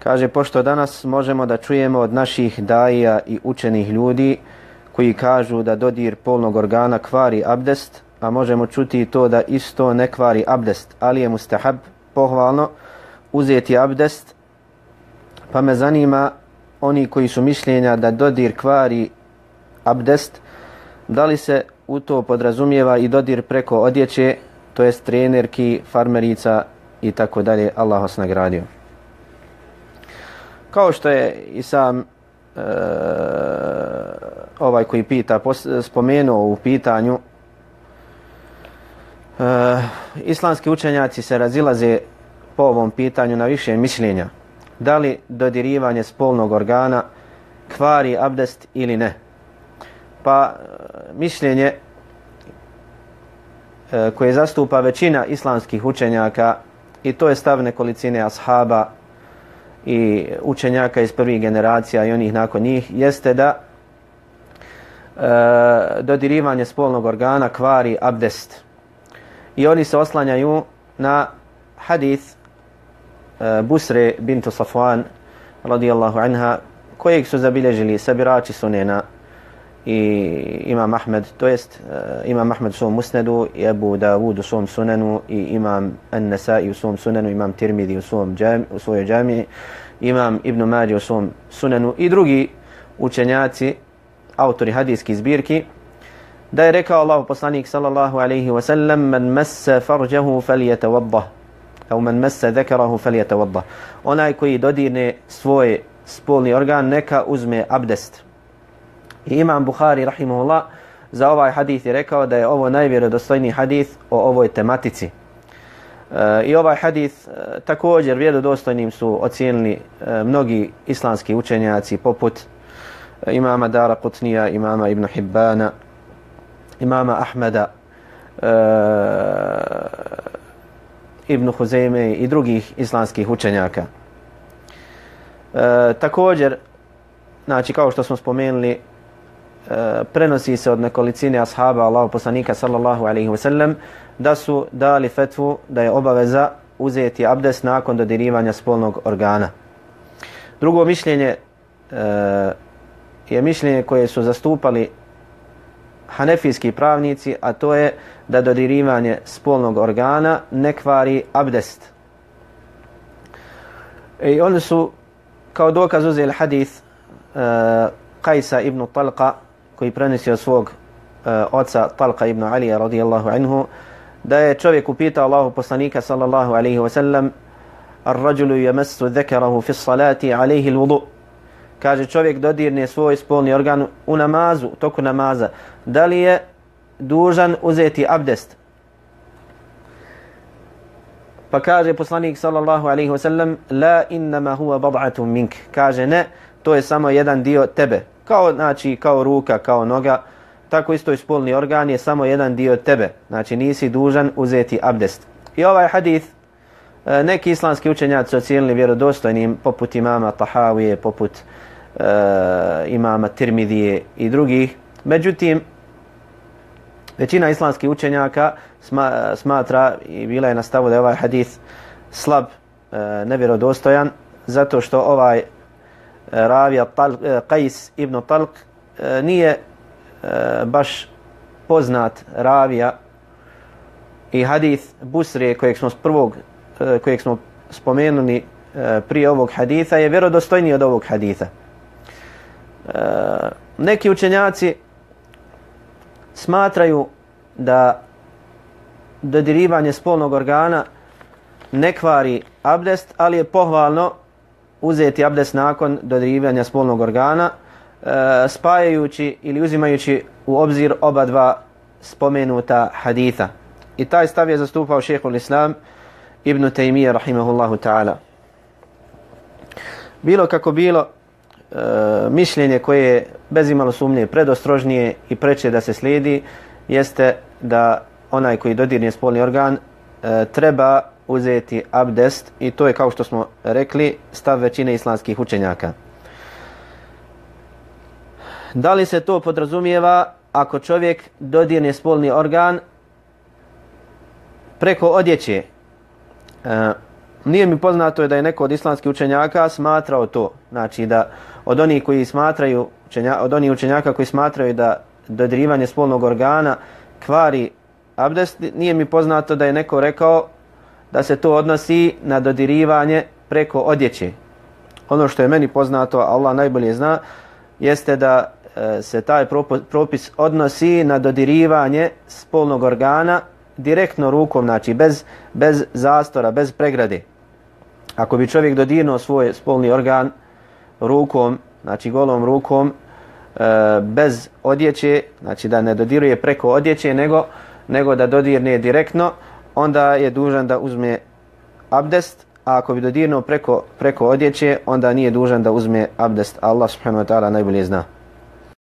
Kaže, pošto danas možemo da čujemo od naših daija i učenih ljudi koji kažu da dodir polnog organa kvari abdest, a možemo čuti to da isto ne kvari abdest, ali je mustahab, pohvalno, uzeti abdest, pa me zanima oni koji su mišljenja da dodir kvari abdest, da li se u to podrazumijeva i dodir preko odjeće, to jest trenerki, farmerica i tako dalje. Allah vas nagradio. Kao što je i sam ovaj koji pita spomenuo u pitanju, islamski učenjaci se razilaze po ovom pitanju na više mišljenja. Da li dodirivanje spolnog organa kvari abdest ili ne? Pa mišljenje koje zastupa većina islamskih učenjaka, i to je stav nekolicine ashaba i učenjaka iz prvih generacija i onih nakon njih, jeste da dodirivanje spolnog organa kvari abdest. I oni se oslanjaju na hadith Busre bintu Safwan radijallahu anha, kojeg su zabilježili sabirači sunena i imam Ahmed, to jest imam Ahmed u svom musnedu, i Abu Dawud u svom sunenu, i imam An-Nasai u svom sunenu, imam Tirmidhi u svojoj džamiji, imam Ibn Mađe u svom sunenu i drugi učenjaci, autori hadijskih zbirki, da je rekao Allahu poslanik sallallahu alaihi wa sallam: man massa farjahu falyatawaddah, au man massa dhakarahu falyatawaddah. Onaj koji dodirne svoj spolni organ neka uzme abdest. I imam Buhari rahimahullah za ovaj hadith je rekao da je ovo najvjerodostojniji hadith o ovoj tematici. I ovaj hadith također vjerodostojnim su ocijenili mnogi islamski učenjaci poput imama Dara Qutnija, imama Ibn Hibbana, imama Ahmeda, Ibn Huzeyme i drugih islamskih učenjaka. Također, znači kao što smo spomenuli, prenosi se od nekolicine ashaba Allahu poslanika sallallahu alaihi wa sallam da su dali fetvu da je obaveza uzeti abdest nakon dodirivanja spolnog organa. Drugo mišljenje je mišljenje koje su zastupali hanefijski pravnici, a to je da dodirivanje spolnog organa ne kvari abdest. I oni su kao dokaz uzeli hadith Qajsa ibn Talqa, koji prenosi od svog oca Talqa ibn Alija radijallahu anhu, da je čovjek upitao Allahu poslanika sallallahu alaihi wa sallam: ar-rajulu yamassu dhakarahu fi s-salati alayhi al-wudu. Kaže, čovjek dodirne svoj spolni organ u namazu, toku namaza, da li je dužan uzeti abdest? Pa kaže poslanik sallallahu alaihi wa sallam: la innama huwa bad'atun mink. Kaže, ne, to je samo jedan dio tebe. Kao, znači, kao ruka, kao noga, tako isto i spolni organ je samo jedan dio tebe. Znači, nisi dužan uzeti abdest. I ovaj hadith neki islamski učenjaci ocijenili vjerodostojnim, poput imama Tahavije, poput imama Tirmidije i drugih. Međutim, većina islamskih učenjaka smatra i bila je na stavu da je ovaj hadith slab, nevjerodostojan, zato što ovaj ravija Qajs ibn Talq nije baš poznat ravija, i hadith Busre kojeg smo spomenuli prije ovog haditha je vjerodostojniji od ovog haditha. Neki učenjaci smatraju da dodirivanje spolnog organa ne kvari abdest, ali je pohvalno uzeti abdest nakon dodirivanja spolnog organa, spajajući ili uzimajući u obzir oba dva spomenuta haditha. I taj stav je zastupao šejhul Islam Ibn Taymije rahimahullahu ta'ala. Bilo kako bilo, mišljenje koje je bez imalo sumnje predostrožnije i preče da se slijedi jeste da onaj koji dodirne spolni organ treba uzeti abdest, i to je, kao što smo rekli, stav većine islamskih učenjaka. Da li se to podrazumijeva ako čovjek dodirne spolni organ preko odjeće? nije mi poznato da je neko od islamskih učenjaka smatrao to. Znači da od onih koji smatraju, od onih učenjaka koji smatraju da dodirivanje spolnog organa kvari abdest, nije mi poznato da je neko rekao da se to odnosi na dodirivanje preko odjeće. Ono što je meni poznato, Allah najbolje zna, jeste da se taj propis odnosi na dodirivanje spolnog organa direktno rukom, znači bez zastora, bez pregrade. Ako bi čovjek dodirnuo svoj spolni organ rukom, znači golom rukom, bez odjeće, znači da ne dodiruje preko odjeće, nego da dodirne direktno, onda je dužan da uzme abdest, a ako bi dodirnuo preko odjeće, onda nije dužan da uzme abdest. Allah subhanahu wa ta'ala najbolje zna.